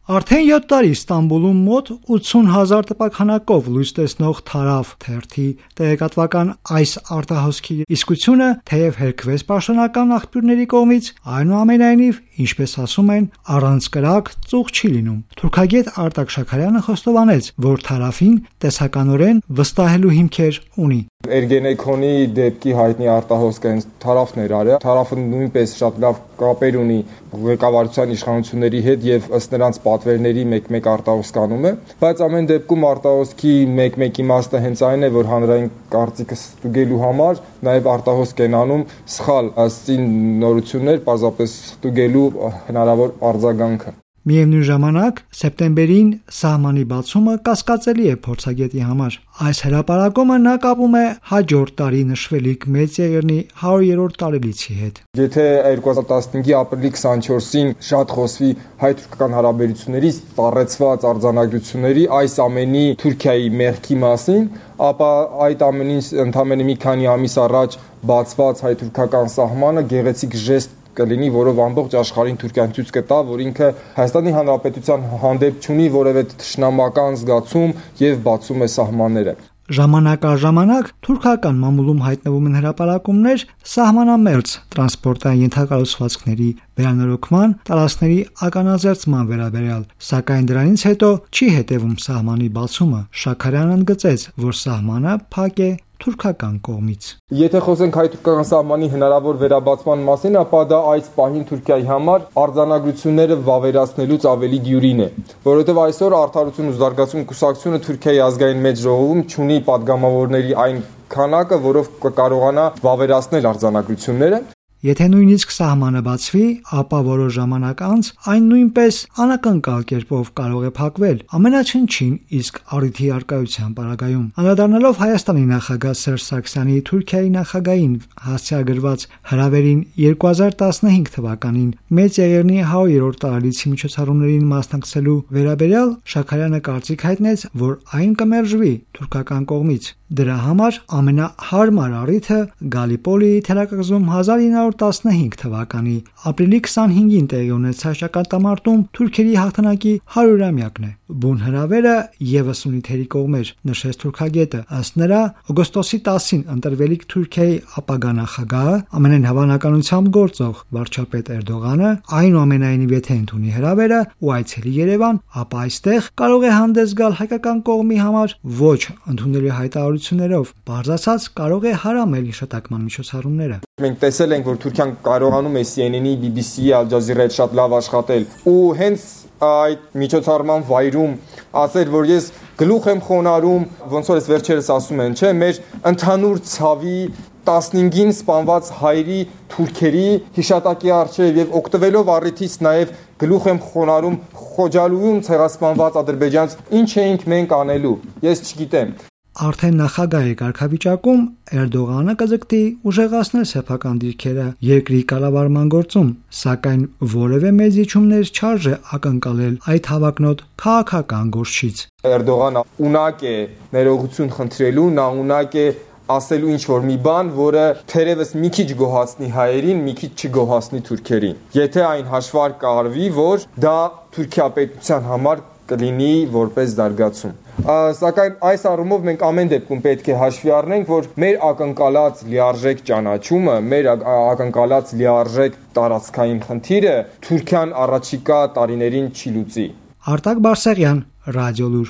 Արդեն 7 տարի Ստամբուլում մոտ 80,000 տպաքանակով լույս տեսնող Թարավ թերթի տեղեկատվական այս արտահոսքի իսկությունը թեև հերքվեց պաշտոնական աղբյուրների կողմից, այնուամենայնիվ, ինչպես ասում են, առանց կրակ ծուղ չի լինում։ Թուրքագետ Արտակ Շաքարյանը խոստովանեց, որ Թարավին տեսականորեն վստահելու հիմքեր ունի։ Էրգենեքոնի դեպքի հայտնի արտահոսքը հենց Թարավն էր արել։ Թարավը նույնպես շատ լավ կապեր ունի ղեկավարության իշխանությունների հետ եւ ըստ նրանց պատվերների մեկ-մեկ արտահոսք անում է, բայց ամեն դեպքում արտահոսքի մեկ-մեկ իմաստը հենց այն է, որ հանրային կարծիքը ստուգելու համար նաեւ արտահոսք են անում սխալ ըստին նորություններ, պարզապես ստուգելու հնարավոր արձագանքը։ Միևնույն ժամանակ, սեպտեմբերին սահմանի բացումը կասկածելի է փորձագետի համար։ Այս հրապարակումը նա կապում է հաջորդ տարի նշվելիք Մեծ Եղեռնի 100-րդ տարելիցի հետ։ Եթե 2015-ի ապրիլի 24-ին շատ խոսվի հայ-թուրքական հարաբերությունների ծառեցված արձանագրությունների այս ամենի Թուրքիայի մեղքի մասին, ապա այդ ամենին ընդամենը մի քանի ամիս առաջ բացված հայ-թուրքական սահմանը գեղեցիկ ժեստ կլինի, որով ամբողջ աշխարհին Թուրքիան ցույց կտա, որ ինքը Հայաստանի Հանրապետության հանդեպ չունի որևէ թշնամական զգացում եւ բացում է սահմանները։ Ժամանակ առ ժամանակ թուրքական մամուլում հայտնվում են հրապարակումներ սահմանամերձ տրանսպորտային ենթակառուցվածքների վերանորոգման, տարածքների ականաձերծման վերաբերյալ, սակայն դրանից հետո չի հետևում սահմանի բացումը։ Շաքարյանն ընդգծեց, որ սահմանը փակ է թուրքական կողմից։ Եթե խոսենք հայ-թուրքական սահմանի հնարավոր վերաբացման մասին, ապա դա այս պահին Թուրքիայի համար արձանագրությունները վավերացնելուց ավելի դյուրին է, որովհետև այսօր Արդարություն ու զարգացում կուսակցությունը Թուրքիայի ազգային մեծ ժողովում չունի падգամավորների այն քանակը, որով կկարողանա վավերացնել արձանագրությունները։ Եթե նույնիսկ սահմանը բացվի, ապա որոշ ժամանակ անց այն նույնպես անակնկալ կերպով կարող է փակվել, ամենաչնչին իսկ առիթի առկայության պարագայում։ Անդրադառնալով Հայաստանի նախագահ Սերժ Սարգսյանի Թուրքիայի նախագահին հասցեագրված հրավերին 2015 թվականին Մեծ Եղեռնի 100-րդ տարելիցի միջոցառումներին մասնակցելու վերաբերյալ Շաքարյանը կարծիք հայտնեց, որ այն կմերժվի թուրքական կողմից։ Դրա համար ամենահարմար առիթը Գալիպոլիի թերակղզում 1915 թվականի ապրիլի 25-ին տեղի ունեցած ճակատամարտում թուրքերի հաղթանակի 100-ամյակն է։ Բուն հրավերը եւս ունի թերի կողմեր, նշեց թուրքագետը։ Ըստ նրա, օգոստոսի 10-ին ընտրվելիք Թուրքիայի ապագա նախագահը, ամենայն հավանականությամբ գործող վարչապետ Էրդողանը, այնուամենայնիվ եթե ընդունի հրավերը ու այցելի Երևան, ապա այստեղ կարող է հանդես գալ հայկական կողմի համար ոչ ընդունելի հայտարարություններով, բարձրացած կարող է հարամել հիշատակման միջոցառումները։ Մենք տեսել ենք, որ Թուրքիան կարողանում է CNN-ի, BBC-ի, Al Jazeera-ի հետ շատ լավ աշխատել ու հենց այդ միջոցառման վայրում ասել, որ ես գլուխ եմ խոնարհում, ոնց որ վերջերս ասում են, չէ, մեր ընդհանուր ցավի 15-ին սպանված հայերի թուրքերի հիշատակի առջև եւ օգտվելով առիթից նաեւ գլուխ եմ խոնարհում Խոջալույում ցեղասպանված ադրբեջանց ինչ էինք մենք անելու, ես չգիտեմ։ Արդեն նախագահի կարգավիճակում Էրդողանը կձգտի ուժեղացնել սեփական դիրքերը երկրի կառավարման գործում, սակայն որևէ մեծ իջումներ չարժե ակնկալել այդ հավակնոտ քաղաքական գործիչից։ Էրդողանը ունակ է ներողություն խնդրելու, նա ունակ է ասելու ինչ-որ մի բան, որը թերևս մի քիչ գոհացնի հայերին, մի քիչ չգոհացնի թուրքերին։ Եթե այն հաշվարկ կարվի, որ դա Թուրքիա պետության համար կլինի որպես զարգացում։ Սակայն այս առումով մենք ամեն դեպքում պետք է հաշվի առնենք, որ մեր ակնկալած լիարժեք ճանաչումը, մեր ակնկալած լիարժեք տարածքային խնդիրը Թուրքիան առաջիկա տարիներին չի լուծի։ Արտակ Բարսեղյան, Ռադիոլուր։